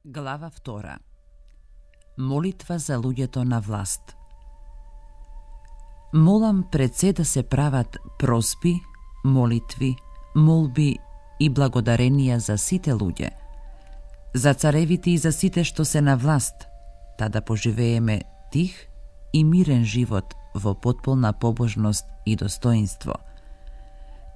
Глава 2. Молитва за луѓето на власт. Молам пред се да се прават просби, молитви, молби и благодаренија за сите луѓе, за царевите и за сите што се на власт, та да поживееме тих и мирен живот во потполна побожност и достоинство.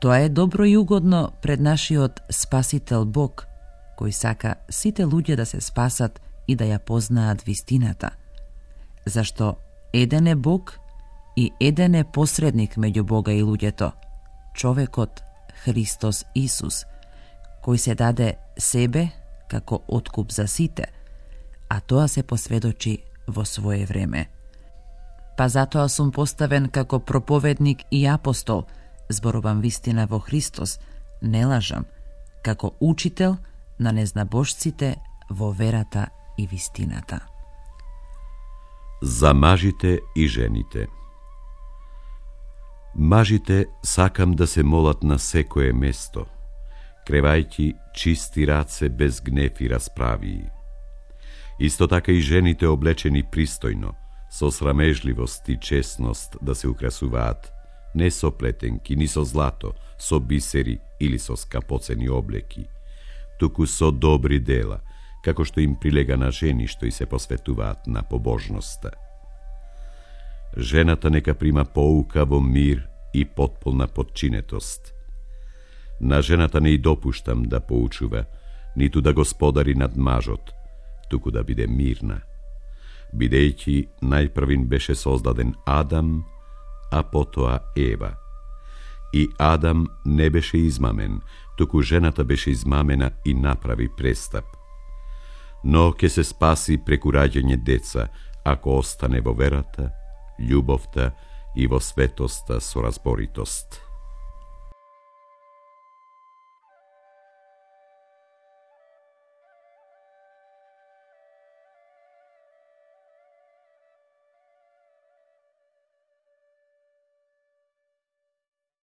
Тоа е добро и угодно пред нашиот Спасител Бог, кој сака сите луѓе да се спасат и да ја познаат вистината. Зашто еден е Бог и еден е посредник меѓу Бога и луѓето, човекот Христос Исус, кој се даде себе како откуп за сите, а тоа се посведочи во свое време. Па затоа сум поставен како проповедник и апостол, зборувам вистина во Христос, не лажам, како учител на незнабожците во верата и вистината. За мажите и жените. Мажите сакам да се молат на секое место, кревајќи чисти раце без гнев и расправии. Исто така и жените облечени пристојно, со срамежливост и честност да се украсуваат, не со плетенки, ни со злато, со бисери или со скапоцени облеки, туку со добри дела, како што им прилега на жени што и се посветуваат на побожноста. Жената нека прима поука во мир и потполна подчинетост. На жената не и допуштам да поучува, ниту да господари над мажот, туку да биде мирна, бидејќи најпрвин беше создаден Адам, а потоа Ева. И Адам не беше измамен, туку жената беше измамена и направи престап. Но ќе се спаси преку раѓање деца, ако остане во верата, љубовта и во светоста со разборитост.